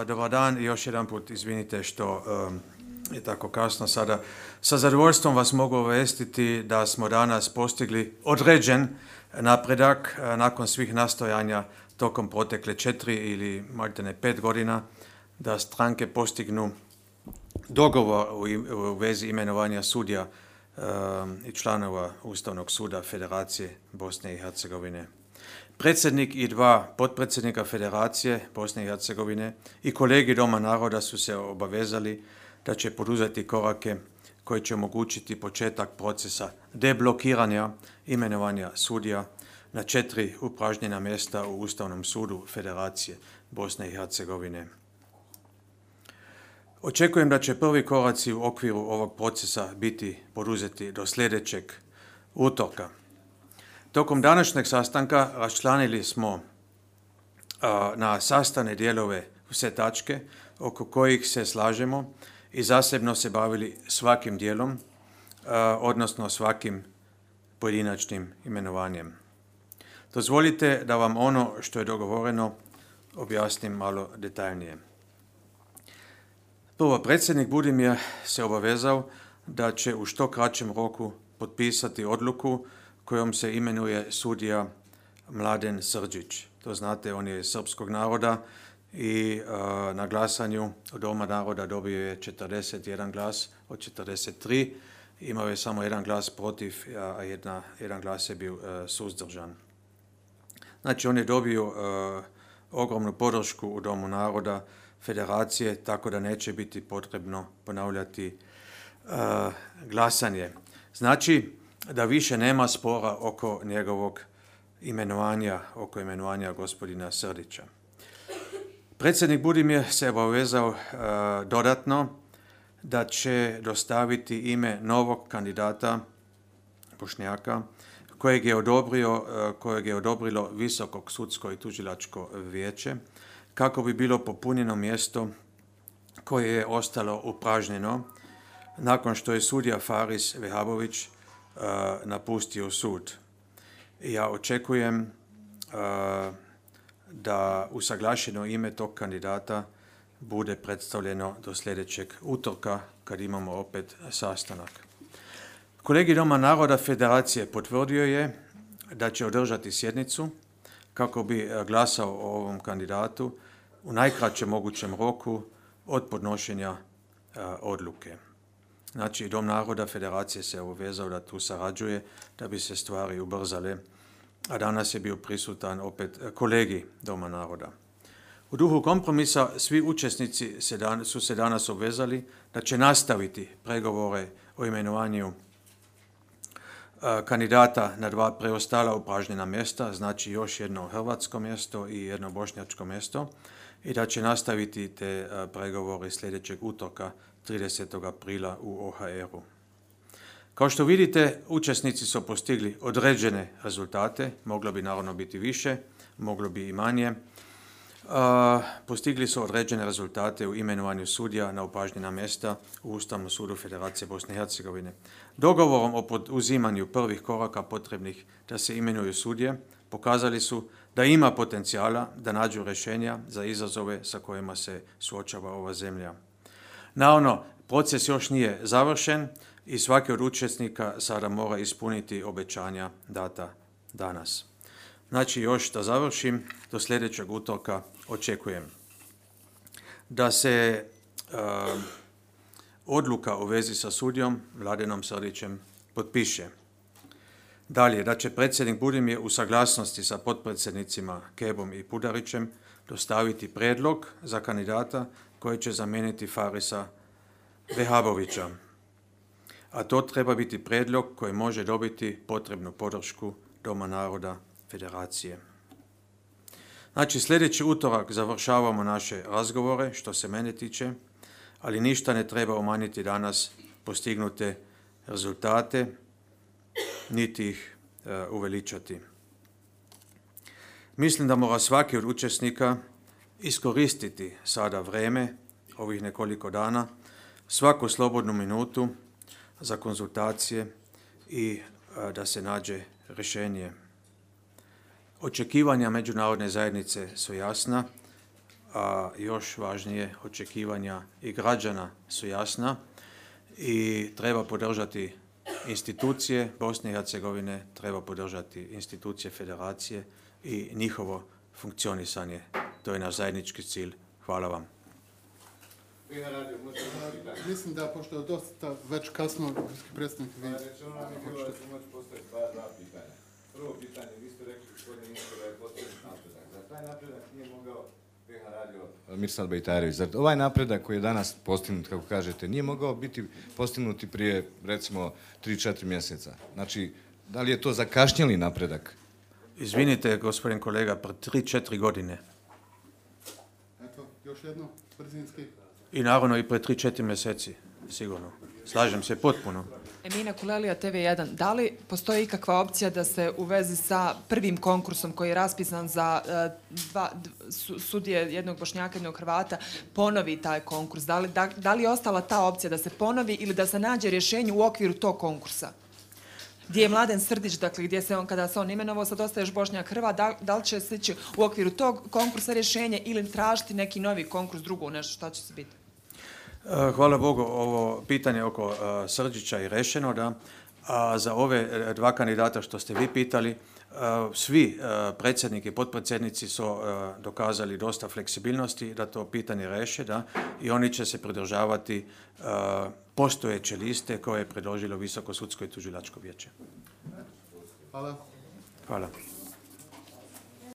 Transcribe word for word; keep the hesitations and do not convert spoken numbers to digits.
Dobar dan i još jedan put izvinite što je tako kasno sada. Sa zadovoljstvom vas mogu obavijestiti da smo danas postigli određen napredak nakon svih nastojanja tokom protekle četiri ili maltene pet godina da stranke postignu dogovor u vezi imenovanja sudija i članova Ustavnog suda Federacije Bosne i Hercegovine. Predsjednik i dva potpredsjednika Federacije Bosne i Hercegovine i kolegi Doma naroda su se obavezali da će poduzeti korake koji će omogućiti početak procesa deblokiranja imenovanja sudija na četiri upražnjena mjesta u Ustavnom sudu Federacije Bosne i Hercegovine. Očekujem da će prvi koraci u okviru ovog procesa biti poduzeti do sljedećeg utorka. Tokom današnjeg sastanka raščlanili smo a, na sastavne dijelove sve tačke oko kojih se slažemo i zasebno se bavili svakim dijelom, a, odnosno svakim pojedinačnim imenovanjem. Dozvolite da vam ono što je dogovoreno objasnim malo detaljnije. Prvo, predsjednik Budimir se obavezao da će u što kraćem roku potpisati odluku kojom se imenuje sudija Mladen Srđić. To znate, on je srpskog naroda i uh, na glasanju od Doma naroda dobio je četrdeset jedan glas od četrdeset tri. Imao je samo jedan glas protiv, a jedna, jedan glas je bio uh, suzdržan. Znači, on je dobio uh, ogromnu podršku u Domu naroda Federacije, tako da neće biti potrebno ponavljati uh, glasanje. Znači, da više nema spora oko njegovog imenovanja, oko imenovanja gospodina Srdića. Predsjednik Budimir se obavezao uh, dodatno da će dostaviti ime novog kandidata Bošnjaka kojeg je, odobrio, uh, kojeg je odobrilo Visokog sudsko i tužilačko vijeće kako bi bilo popunjeno mjesto koje je ostalo upražnjeno nakon što je sudija Faris Vehabović Uh, napustio sud. Ja očekujem uh, da usaglašeno ime tog kandidata bude predstavljeno do sljedećeg utorka kad imamo opet sastanak. Kolegi Doma naroda Federacije potvrdio je da će održati sjednicu kako bi glasao o ovom kandidatu u najkraćem mogućem roku od podnošenja uh, odluke. Znači, Dom naroda Federacije se obvezao da tu sarađuje, da bi se stvari ubrzale, a danas je bio prisutan opet kolegi Doma naroda. U duhu kompromisa svi učesnici se dan, su se danas obvezali da će nastaviti pregovore o imenovanju a, kandidata na dva preostala upražnjena mjesta, znači još jedno hrvatsko mjesto i jedno bošnjačko mjesto, i da će nastaviti te a, pregovore sljedećeg utorka tridesetog aprila u O H R-u. Kao što vidite, učesnici su postigli određene rezultate, moglo bi naravno biti više, moglo bi i manje. Uh, postigli su određene rezultate u imenovanju sudija na upražnjena mjesta u Ustavnom sudu Federacije Bosne i Hercegovine. Dogovorom o poduzimanju prvih koraka potrebnih da se imenuju sudije pokazali su da ima potencijala da nađu rješenja za izazove sa kojima se suočava ova zemlja. Naravno, proces još nije završen i svaki od učesnika sada mora ispuniti obećanja data danas. Znači, još da završim, do sljedećeg utorka očekujem da se uh, odluka u vezi sa sudijom Mladenom Srdićem potpiše. Dalje, da će predsjednik Budimir u saglasnosti sa potpredsjednicima Kebom i Pudarićem dostaviti prijedlog za kandidata koji će zamijeniti Farisa Vehabovića. A to treba biti prijedlog koji može dobiti potrebnu podršku Doma naroda Federacije. Znači, sljedeći utorak završavamo naše razgovore, što se mene tiče, ali ništa ne treba umanjiti danas postignute rezultate, niti ih uh, uveličati. Mislim da mora svaki od učesnika iskoristiti sada vrijeme, ovih nekoliko dana, svaku slobodnu minutu za konzultacije i a, da se nađe rješenje. Očekivanja međunarodne zajednice su jasna, a još važnije, očekivanja i građana su jasna i treba podržati institucije Bosne i Hercegovine, treba podržati institucije federacije i njihovo funkcionisanje. To je naš zajednički cilj. Hvala vam. Mislim da, pošto je dosta već kasno, predstavnik vi... Rečeno nam je bilo da ću moći postaviti dva pitanja. Prvo pitanje, vi ste rekli, gospodine ministre, da je postavljen napredak. Za taj napredak nije mogao P H radio Mirsad Bejtarević. Zar ovaj napredak koji je danas postignut, kako kažete, nije mogao biti postignut i prije, recimo, tri četiri mjeseca? Znači, da li je to zakašnjeli napredak? Izvinite, gospodin kolega, pre tri četiri godine. Eto, još jedno, brzinski. I naravno i pre tri četiri mjeseci, sigurno. Slažem se potpuno. Emina Kulelija, T V jedan. Da li postoji ikakva opcija da se u vezi sa prvim konkursom koji je raspisan za uh, dva, d, sudije jednog Bošnjaka i jednog Hrvata ponovi taj konkurs? Da li, da, da li je ostala ta opcija da se ponovi ili da se nađe rješenje u okviru tog konkursa? Gdje je Mladen Srdić, dakle, gdje se on, kada se on imenovao, sad ostaje još Bošnjak Hrvat, da, da li će se ići u okviru tog konkursa rješenje ili tražiti neki novi konkurs, drugo nešto, šta će se biti? Hvala Bogu, ovo pitanje oko uh, Srđića je rešeno, da. A za ove dva kandidata što ste vi pitali, uh, svi uh, predsjednik i potpredsjednici su uh, dokazali dosta fleksibilnosti da to pitanje reše, da, i oni će se pridržavati uh, postojeće liste koje je predložilo Visoko sudsko i tužilačko vijeće. Hvala. Hvala.